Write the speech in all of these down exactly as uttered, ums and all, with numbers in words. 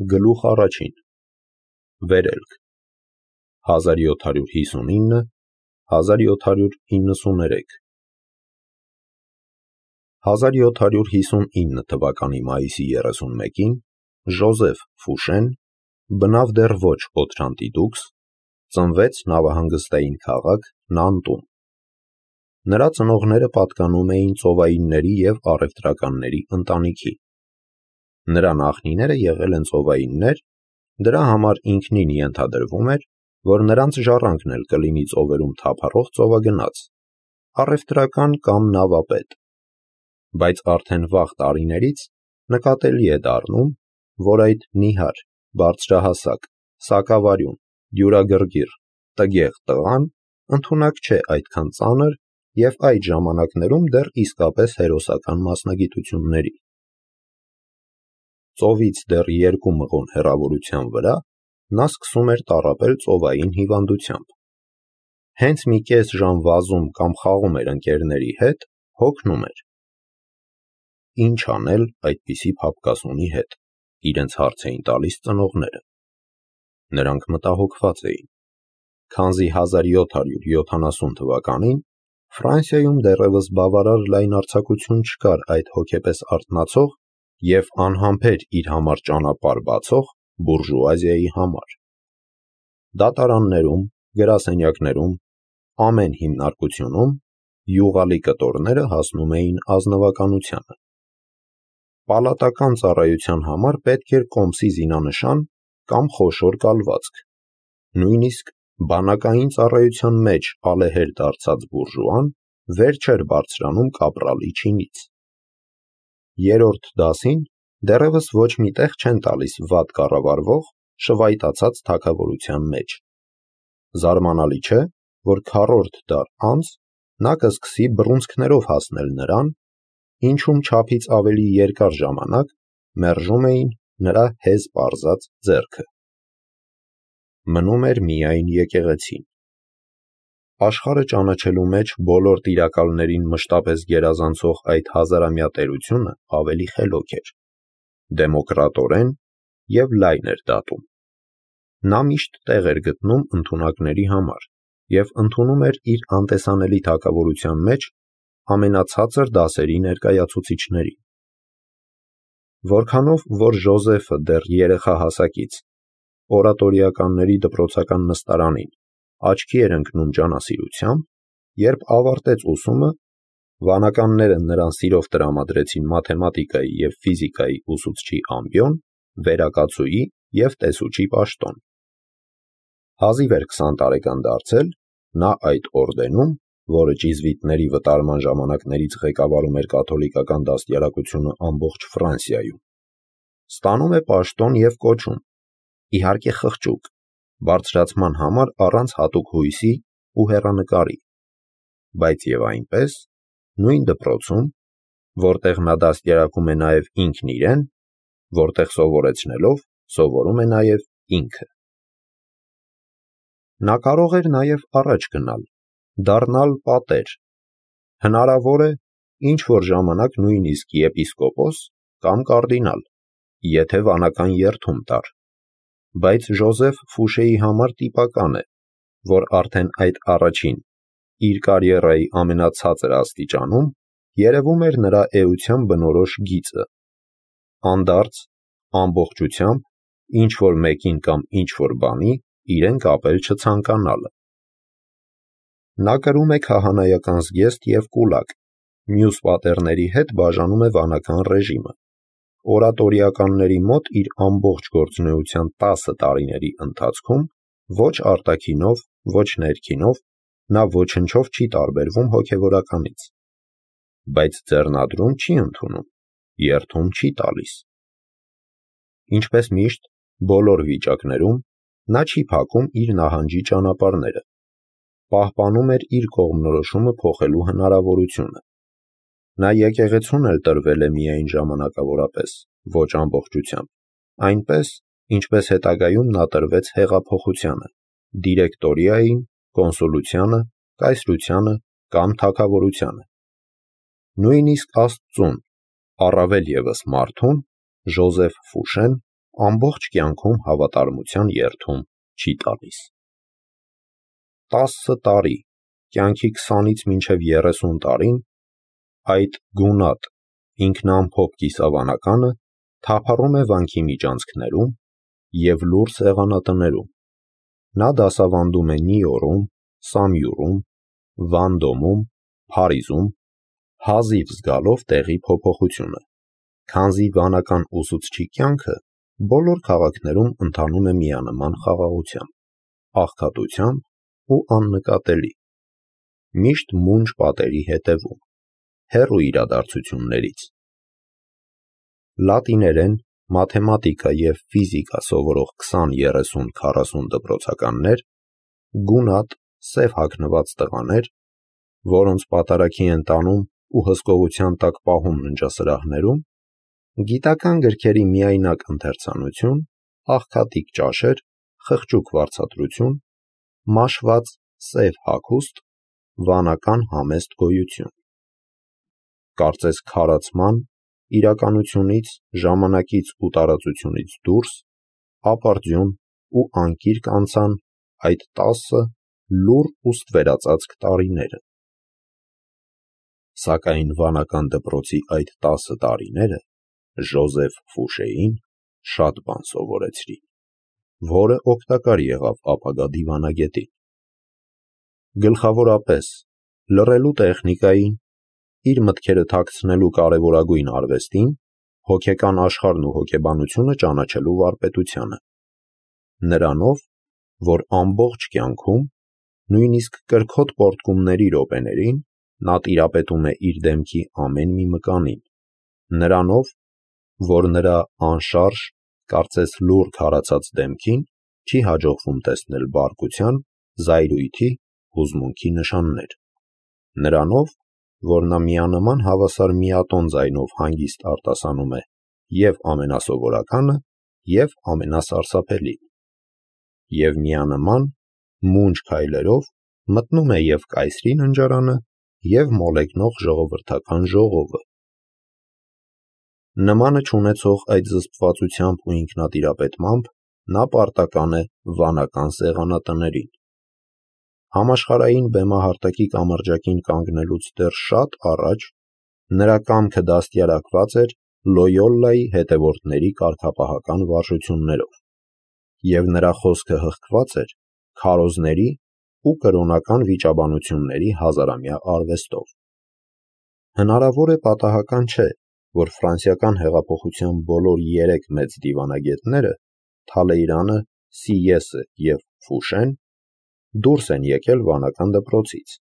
Գլուխ առաջին Վերելք հազար յոթ հարյուր հիսունինը հազար յոթ հարյուր իննսուներեք հազար յոթ հարյուր հիսունինը թվականի մայիսի երեսունմեկին Ժոզեֆ Ֆուշեն, բնավ դեռ ոչ Օթրանտիդուքս, ծնվեց նավահանգստային քաղաք Նանտում։ Նրա ծնողները պատկանում էին ծովայինների և առևտրականների ընտանիքի։ Նրա նախնիները եղել են ծովայիններ, դրա համար ինքնին ենթադրվում էր, որ նրանց ժառանգն էլ կլինի ծովերում թափառող ծովագնաց, առևտրական կամ նավապետ։ Բայց արդեն վաղ տարիներից նկատելի է դառնում, որ այդ նիհար, բարձրահասակ, սակավարյուն, դյուրագրգիռ, տգեղ տղան ընդունակ չէ այդքան ծանր և այդ ժամանակներում դեռ իսկապես հերոսական մասնագիտությունների։ Ծովից դեռ երկու մղոն հեռավորության վրա նա սկսում էր տառապել ծովային հիվանդությամբ։ Հենց մի կես ժամ վազում կամ խաղում էր ընկերների հետ, հոգնում էր։ Ինչ անել այդպիսի փափկասունի հետ, իրենց հարց էին տալիս ծնողները։ Նրանք մտահոգված էին, քանզի հազար յոթ հարյուր յոթանասուն թվականին Ֆրանսիայում դեռևս բավարար լայնարձակություն չկար այդ հոգեպես արթնացող և անհամբեր իր համար ճանապարհ բացող բուրժուազիայի համար։ Դատարաններում, գրասենյակներում, ամեն հիմնարկությունում յուղալի կտորները հասնում էին ազնվականությանը։ Պալատական ծառայության համար պետք էր կոմսի զինանշան կամ խոշոր կալվածք, նույնիսկ բանակային ծառայության մեջ ալեհեր դարձած բուրժուան վեր չէր բարձրանում կապրալի չինից։ Երրորդ դասին դեռևս ոչ մի տեղ չեն տալիս վատ կառավարվող, շվայտացած թագավորության մեջ։ Զարմանալի չէ, որ քառորդ դար անց նա կսկսի բռունցքներով հասնել նրան, ինչում չափից ավելի երկար ժամանակ մերժում էին նրա հեզ պարզած ձեռքը։ Մնում էր միայն եկեղեցին։ Աշխարհը ճանաչելու մեջ բոլոր տիրակալներին մշտապես գերազանցող այդ հազարամյա տերությունը ավելի խելոք էր, դեմոկրատորեն և լայն էր դատում։ Նա միշտ տեղ էր գտնում ընդունակների համար և ընդունում էր իր անտեսանելի թագավորության մեջ ամենացածր դասերի ներկայացուցիչներին։ Որքանով որ Ժոզեֆը դեռ երեխա հասակից օրատորիականների դպրոցական նստարանին աչքի էր ընկնում ջանասիրությամբ, երբ ավարտեց ուսումը, վանականները նրան սիրով տրամադրեցին մաթեմատիկայի և ֆիզիկայի ուսուցչի ամբիոն, վերակացուի և տեսուչի պաշտոն։ Հազիվ էր քսան տարեկան դարձել, նա այդ օրդենում, որը ճիզվիտների վտարման ժամանակներից ղեկավարում էր կաթոլիկական դաստիարակությունը ամբողջ Ֆրանսիայում, ստանում է պաշտոն և կոչում, իհարկե խղճուկ, բարձրացման համար առանց հատուկ հույսի ու հեռանկարի, բայց և այնպես, նույն դպրոցում, որտեղ նա դաստիարակում է նաև ինքն իրեն, որտեղ սովորեցնելով սովորում է նաև ինքը։ Նա կարող էր նաև առաջ գնալ, դառնալ պատեր, հնարավոր է ինչ-որ ժամանակ նույնիսկ եպիսկոպոս կամ կարդինալ, եթե վանական երդում տար, բայց Ժոզեֆ Ֆուշեի համար տիպական է, որ արդեն այդ առաջին, իր կարիերայի ամենացածր աստիճանում երևում էր նրա էության բնորոշ գիծը՝ անդարձ, ամբողջությամբ, ինչ-որ մեկին կամ ինչ-որ բանի իրեն կապել չցանկանալը։ Նա կրում է քահանայական զգեստ և կուլակ, մյուս պատերների հետ բաժանում է վանական ռեժիմը։ Օրատորիականների մոտ իր ամբողջ գործունեության տասը տարիների ընթացքում ոչ արտաքինով, ոչ ներքինով նա ոչնչով չի տարբերվում հոգևորականից։ Բայց ձեռնադրում չի ընդունում, երդում չի տալիս։ Ինչպես միշտ, բոլոր վիճակներում նա չի փակում իր նահանջի ճանապարհները, պահպանում էր իր կողմնորոշումը փոխելու հնարավորությունը։ Նա եկեղեցուն էլ տրվել է միայն ժամանակավորապես, ոչ ամբողջությամբ, այնպես, ինչպես հետագայում նա տրվեց հեղափոխությանը, դիրեկտորիային, կոնսուլությանը, կայսրությանը կամ թագավորությանը։ Նույնիսկ Աստծուն, առավել ևս մարդուն, Ժոզեֆ Ֆուշեն ամբողջ կյանքում հավատարմության երդում չի տալիս։ Տասը տարի, կյանքի քսանից մինչև երեսուն տարին այդ գունատ, ինքնամփոփ կիսավանականը թափառում է վանքի միջանցքներում և լուռ սեղանատներում։ Նա դասավանդում է Նյույորքում, Սամյուրում, Վանդոմում, Փարիզում, հազիվ զգալով տեղի փոփոխությունը, քանզի վանական ուսուցչի կյանքը բոլոր քաղաքներում ընթանում է միանման խաղաղությամբ, աղքատությամբ ու աննկատելի, միշտ մունջ պատերի հետևում, հեռու իրադարձություններից։ Լատիներեն, մաթեմատիկա և ֆիզիկա սովորող քսան, երեսուն, քառասուն դպրոցականներ, գունատ, սև հագնված տղաներ, որոնց պատարագի են տանում ու հսկողության տակ պահում ննջասրահներում, գիտական գրքերի միայնակ ընթերցանություն, աղքատիկ ճաշեր, խղճուկ վարձատրություն, մաշված սև հագուստ, վանական համեստ գոյություն։ Կարծես քարացման, իրականությունից, ժամանակից ու տարածությունից դուրս, ապարդյուն ու անկիրք անցան այդ տասը լուռ ու ստվերածածկ տարիները։ Սակայն վանական դպրոցի այդ տասը տարիները Ժոզեֆ Ֆուշեին շատ բան սովորեցրին, որը օգտակար եղավ ապագա դիվանագետին։ Գլխավորապես լռելու տեխնիկային, իր մտքերը թաքցնելու կարևորագույն արվեստին, հոգեկան աշխարհն ու հոգեբանությունը ճանաչելու վարպետությանը։ Նրանով, որ ամբողջ կյանքում, նույնիսկ կրքոտ պոռթկումների րոպեներին, նա տիրապետում է իր դեմքի ամեն մի մկանին, նրանով, որ նրա անշարժ, կարծես լուռ քարացած դեմքին չի հաջողվում տեսնել բարկության, զայրույթի, հուզմունքի նշաններ, նրանով, որ նա միանման հավասար միատոն ձայնով հանգիստ արտասանում է և ամենասովորականը, և ամենասարսափելին, և միանման մունջ քայլերով մտնում է և կայսրի ննջարանը, և մոլեգնող ժողովրդական ժողովը։ Նմանը չունեցող այդ զսպվածությամբ ու ինքնատիրապետմամբ նա պարտական է վանական սեղանատներին։ Համաշխարհային բեմահարտակի կամրջակին կանգնելուց դեռ շատ առաջ նրա կամքը դաստիարակված էր Լոյոլայի հետևորդների կարգապահական վարժություններով, և նրա խոսքը հղկված էր քարոզների ու կրոնական վիճաբանությունների հազարամյա արվեստով։ Հնարավոր է պատահական չէ, որ ֆրանսիական հեղափոխության բոլոր երեք մեծ դիվանագետները՝ Թալեյրանը, Սիեսը և Ֆուշեն, դուրս են եկել վանական դպրոցից,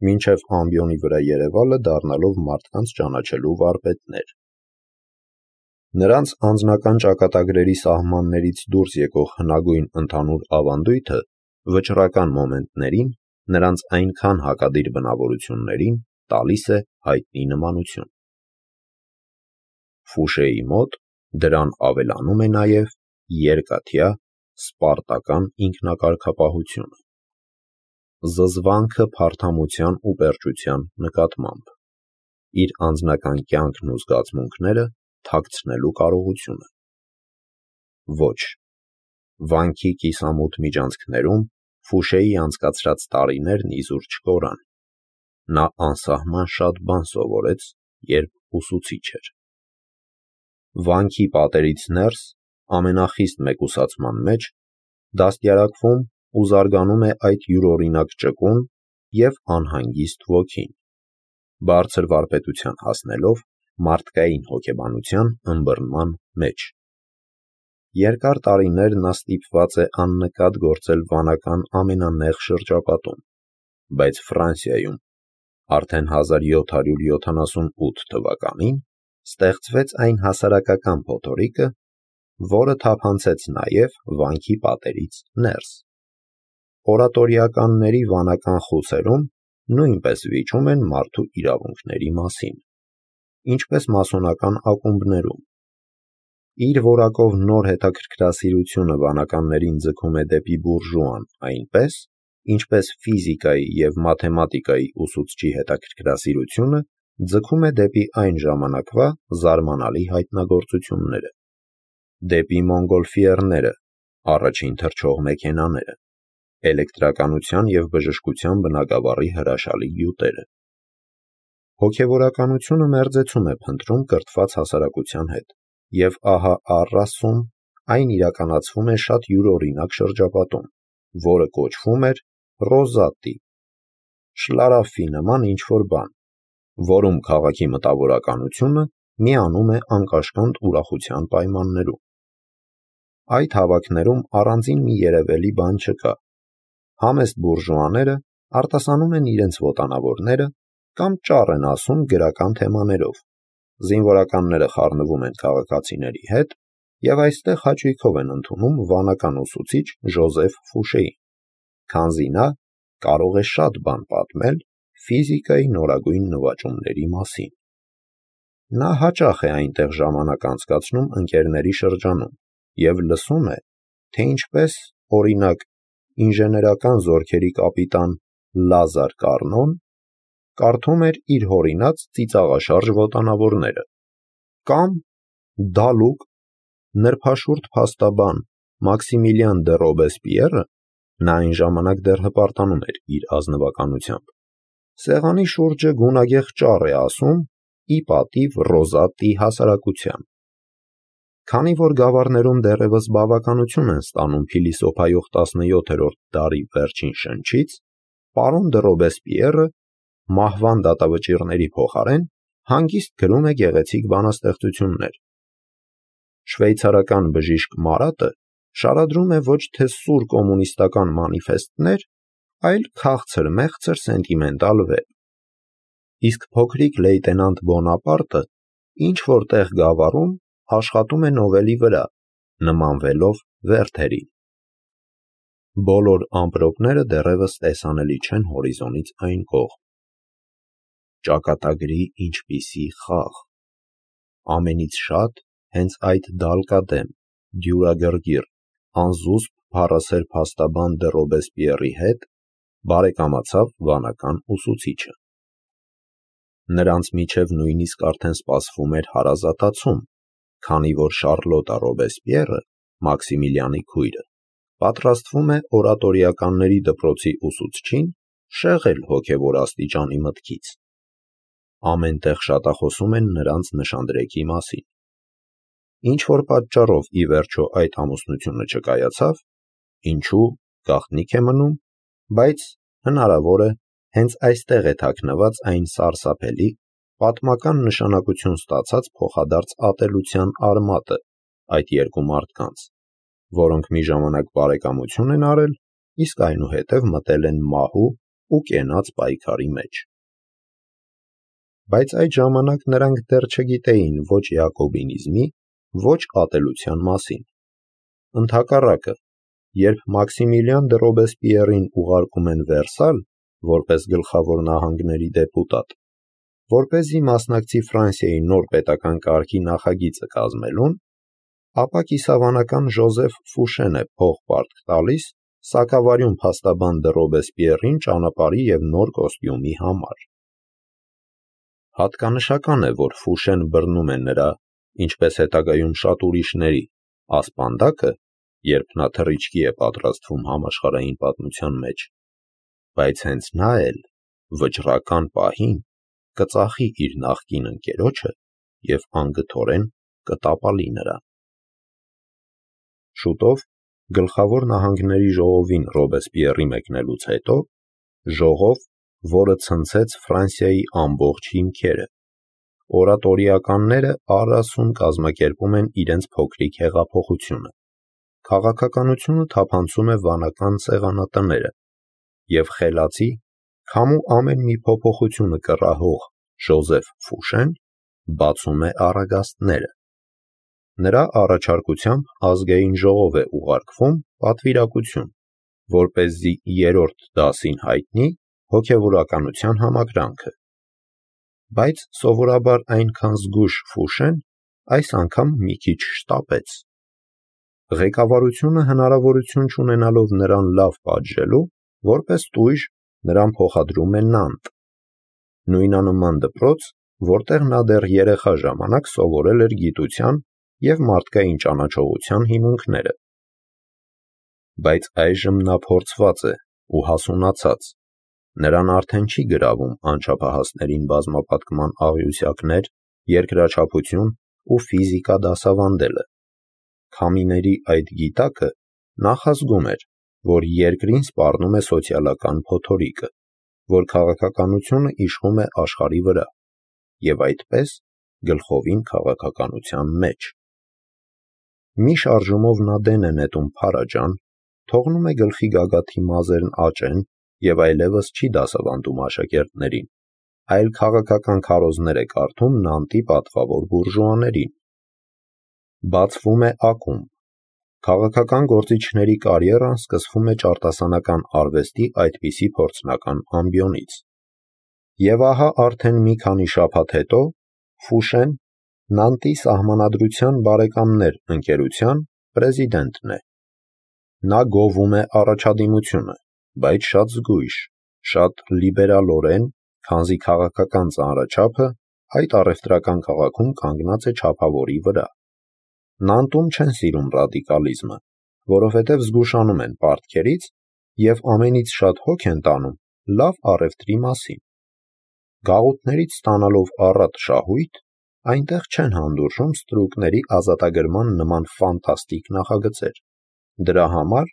մինչև ամբիոնի վրա երևալը դառնալով մարդկանց ճանաչելու վարպետներ։ Նրանց անձնական ճակատագրերի սահմաններից դուրս եկող հնագույն ընդհանուր ավանդույթը վճռական մոմենտներին, նրանց այնքան հակադիր բնավորություններին տալիս է հայտնի նմանություն։ Ֆուշեի մոտ դրան ավելանում է նաև երկաթյա, սպարտական ինքնակարգապահությունը, զզվանքը փարթամության ու պերճության նկատմամբ, իր անձնական կյանքն ու զգացմունքները թաքցնելու կարողությունը։ Ոչ, վանքի կիսամութ միջանցքներում Ֆուշեի անցկացրած տարիներն իզուր չկորան։ Նա անսահման շատ բան սովորեց, երբ ուսուցիչ էր։ Վանքի պատերից ներս, ամենախիստ մեկուսացման մեջ, դաստիարակվում ու զարգանում է այդ յուրօրինակ ճկուն և անհանգիստ ոգին, բարձր վարպետության հասնելով մարդկային հոգեբանության ըմբռնման մեջ։ Երկար տարիներ նա ստիպված է աննկատ գործել վանական ամենանեղ շրջապատում, բայց Ֆրանսիայում արդեն հազար յոթ հարյուր յոթանասունութ թվականին ստեղծվեց այն հասարակական փոթորիկը, որը թափանցեց նաև վանքի պատերից ներս։ Օրատորիականների վանական խուցերում նույնպես վիճում են մարդու իրավունքների մասին, ինչպես մասոնական ակումբներում։ Իր որակով նոր հետաքրքրասիրությունը վանականներին ձգում է դեպի բուրժուան այնպես, ինչպես ֆիզիկայի և մաթեմատիկայի ուսուցչի հետաքրքրասիրությունը ձգում է դեպի այն ժամանակվա զարմանալի հայտնագործությունները։ դեպի մոնգոլֆիերները, առաջին թռչող մեքենաները, էլեկտրականության և բժշկության բնագավառի հրաշալի գյուտերը։ Հոգևորականությունը մերձեցում է փնտրում կրթված հասարակության հետ, և ահա առ Ասում այն իրականացվում է շատ յուրօրինակ շրջապատում, որը կոչվում էր ռոզատի, շլարաֆի նման ինչ-որ բան, որում քաղաքի մտավորականությունը միանում է անկաշկանդ ուրախության պայմաններում։ Այդ հավաքներում առանձին մի երևելի բան չկա։ Համեստ բուրժուաները արտասանում են իրենց ոտանավորները կամ ճառ են ասում գրական թեմաներով, զինվորականները խառնվում են քաղաքացիների հետ և այստեղ հաճույքով են ընդունում վանական ուսուցիչ Ժոզեֆ Ֆուշեին, քանզի նա կարող է շատ բան պատմել ֆիզիկայի նորագույն նվաճումների մասին։ Նա հաճախ է այնտեղ ժամանակ անցկացնում ընկերների շրջանում և լսում է, թե ինչպես, օրինակ, ինժեներական զորքերի կապիտան Լազար Կարնոն կարդում էր իր հորինած ծիծաղաշարժ ոտանավորները, կամ Դալուկ, նրբաշուրթ փաստաբան Մաքսիմիլիան դը Ռոբեսպիերը (նա այն ժամանակ դեռ հպարտանում էր իր ազնվականությամբ) սեղանի շուրջը գունագեղ ճառ է ասում ի պատիվ ռոզատի հասարակության։ Քանի որ գավառներում դեռևս բավականություն են ստանում փիլիսոփայող տասնյոթերորդ դարի վերջին շնչից, պարոն դը Ռոբեսպիերը մահվան դատավճիռների փոխարեն հանգիստ գրում է գեղեցիկ բանաստեղծություններ։ Շվեյցարական բժիշկ Մարատը շարադրում է ոչ թե սուր կոմունիստական մանիֆեստներ, այլ քաղցր-մեղցր սենտիմենտալ վեպ։ Իսկ փոքրիկ լեյտենանտ Բոնապարտը ինչ-որ տեղ գավառում աշխատում է նովելի վրա, նմանվելով Վերթերին։ Բոլոր ամպրոպները դեռևս տեսանելի չեն հորիզոնից այն կողմ։ Ճակատագրի ինչպիսի խաղ։ Ամենից շատ հենց այդ դալկադեմ, դյուրագրգիռ, անզուսպ փառասեր փաստաբան դը Ռոբեսպիերի հետ բարեկամացավ վանական ուսուցիչը։ Նրանց միջև նույնիսկ արդեն սպասվում էր հարազատացում, քանի որ Շառլոտա Ռոբեսպիերը, Մաքսիմիլիանի քույրը, պատրաստվում է օրատորիականների դպրոցի ուսուցչին շեղել հոգևոր աստիճանի մտքից։ Ամեն տեղ շատախոսում են նրանց նշանդրեկի մասին։ Ինչ-որ պատճառով ի վերջո այդ ամուսնությունը չկայացավ, ինչու գաղտնիք է մնում, բայց հնարավոր է հենց այստեղ է թաքնված այն սարսափելի, պատմական նշանակություն ստացած փոխադարձ ատելության արմատը այդ երկու մարդկանց, որոնք մի ժամանակ բարեկամություն են արել, իսկ այնուհետև մտել են մահու ու կենաց պայքարի մեջ։ Բայց այդ ժամանակ նրանք դեռ չգիտեին ոչ յակոբինիզմի, ոչ ատելության մասին։ Ընդհակառակը, երբ Մաքսիմիլիան դը Ռոբեսպիերին ուղարկում են Վերսալ որպես գլխավոր նահանգների դեպուտատ, որպեսզի մասնակցի Ֆրանսիայի նոր պետական կարգի նախագիծը կազմելուն, ապա կիսավանական Ժոզեֆ Ֆուշեն է փող պարտք տալիս սակավարյուն փաստաբան դը Ռոբեսպիերին ճանապարհի և նոր կոստյումի համար։ Հատկանշական է, որ Ֆուշեն բռնում է նրա, ինչպես հետագայում շատ ուրիշների, ասպանդակը, երբ նա թռիչքի է պատրաստվում համաշխարհային պատմության մեջ, բայց հենց նա էլ վճռական պահին կծախի իր նախկին ընկերոջը և անգթորեն կտապալի նրան։ Շուտով, գլխավոր նահանգների ժողովին Ռոբեսպիերի մեկնելուց հետո, ժողով, որը ցնցեց Ֆրանսիայի ամբողջ հիմքերը, օրատորիականները առ Ասում կազմակերպում են իրենց փոքրիկ հեղափոխությունը, քաղաքականությունը թափանցում է վանական սեղանատները, և խելացի, քամու ամեն մի փոփոխությունը կռահող Ժոզեֆ Ֆուշեն բացում է առագաստները։ Նրա առաջարկությամբ ազգային ժողով է ուղարկվում պատվիրակություն, որպեսզի երրորդ դասին հայտնի հոգևորականության համակրանքը։ Բայց սովորաբար այնքան զգույշ Ֆուշեն այս անգամ մի քիչ շտապեց։ Ղեկավարությունը հնարավորություն չունենալով նրան լավ պատժելու, որպես տույժ նրան փոխադրում է Նանտ, նույնանման դպրոց, որտեղ նա դեռ երեխա ժամանակ սովորել էր գիտության և մարդկային ճանաչողության հիմունքները։ Բայց այժմ նա փորձված է ու հասունացած, նրան արդեն չի գրավում անչափահասներին բազմապատկման աղյուսակներ, երկրաչափություն ու ֆիզիկա դասավանդելը։ Քամիների այդ գիտակը նախազգում էր, որ երկրին սպառնում է սոցիալական փոթորիկը, որ քաղաքականությունը իշխում է աշխարհի վրա, և այդպես գլխովին քաղաքականության մեջ։ Մի շարժումով նա դեն է նետում փարաջան, թողնում է գլխի գագաթի մազերն աճեն և այլևս չի դասավանդում աշակերտներին, այլ քաղաքական քարոզներ է կարդում Նանտի պատվավոր բուրժուաներին։ Բացվում է ակումբ։ Քաղաքական գործիչների կարիերան սկսվում է ճարտասանական արվեստի այդպիսի փորձնական ամբիոնից։ Եվ ահա արդեն մի քանի շաբաթ հետո Ֆուշեն Նանտի Սահմանադրության բարեկամներ ընկերության պրեզիդենտն է։ Նա գովում է առաջադիմությունը, բայց շատ զգույշ, շատ լիբերալորեն, քանզի քաղաքական ծանրաչափը այդ առևտրական քաղաքում կանգնած է չափավորի վրա։ Նանտում չեն սիրում ռադիկալիզմը, որովհետև զգուշանում են պարտքերից և ամենից շատ հոգ են տանում լավ առևտրի մասին։ Գաղութներից ստանալով առատ շահույթ, այնտեղ չեն հանդուրժում ստրուկների ազատագրման նման ֆանտաստիկ նախագծեր։ Դրա համար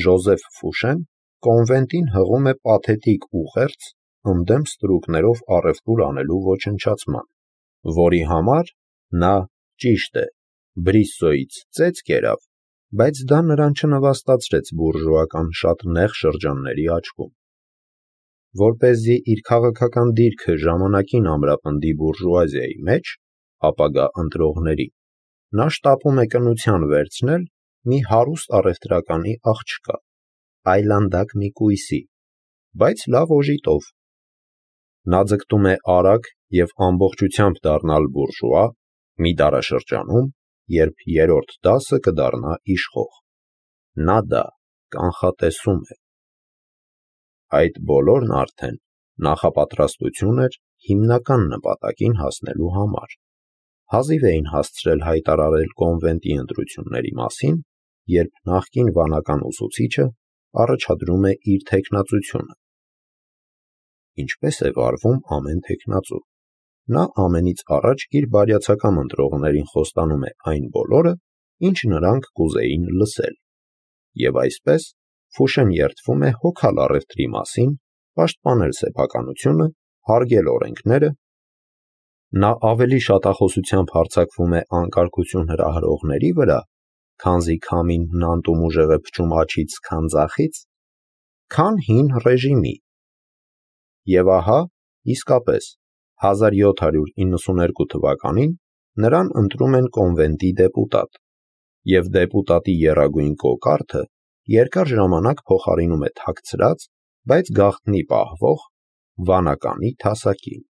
Ժոզեֆ Ֆուշեն կոնվենտին հղում է պաթետիկ ուղերձ ընդդեմ ստրուկներով առևտուր անելու ոչնչացման, որի համար նա, ճիշտ է, Բրիսսոյից ծեծ կերավ, բայց դա նրան չնվաստացրեց բուրժուական շատ նեղ շրջանների աչքում։ Որպեսզի իր քաղաքական դիրքը ժամանակին ամրապնդի բուրժուազիայի մեջ, ապագա ընտրողների, նա շտապում է կնության վերցնել մի հարուստ առևտրականի աղջկա, այլանդակ մի կույսի, բայց լավ օժիտով։ Նա ձգտում է արագ և ամբողջությամբ դառնալ բուրժուա մի դարաշրջանում, երբ երրորդ դասը կդառնա իշխող։ Նա դա կանխատեսում է։ Այդ բոլորն արդեն նախապատրաստություն էր հիմնական նպատակին հասնելու համար։ Հազիվ էին հասցրել հայտարարել կոնվենտի ընտրությունների մասին, երբ նախկին վանական ուսուցիչը առաջադրում է իր թեկնածությունը։ Ինչպես է վարվում ամեն թեկնածու։ Նա ամենից առաջ իր բարյացակամ ընտրողներին խոստանում է այն բոլորը, ինչ նրանք կուզեին լսել։ Եվ այսպես Ֆուշեն երդվում է հոգալ առևտրի մասին, պաշտպանել սեփականությունը, հարգել օրենքները։ Նա ավելի շատախոսությամբ հարձակվում է անկարգություն հրահրողների վրա, քանզի քամին Նանտում ուժեղ է փչում աջից, քան ձախից, քան հին ռեժիմի։ Եվ ահա, իսկապես, հազար յոթ հարյուր իննսուներկու թվականին նրան ընտրում են կոնվենտի դեպուտատ, և դեպուտատի եռագույն կոկարդը երկար ժամանակ փոխարինում է թաքցրած, բայց գաղտնի պահվող վանականի թասակին։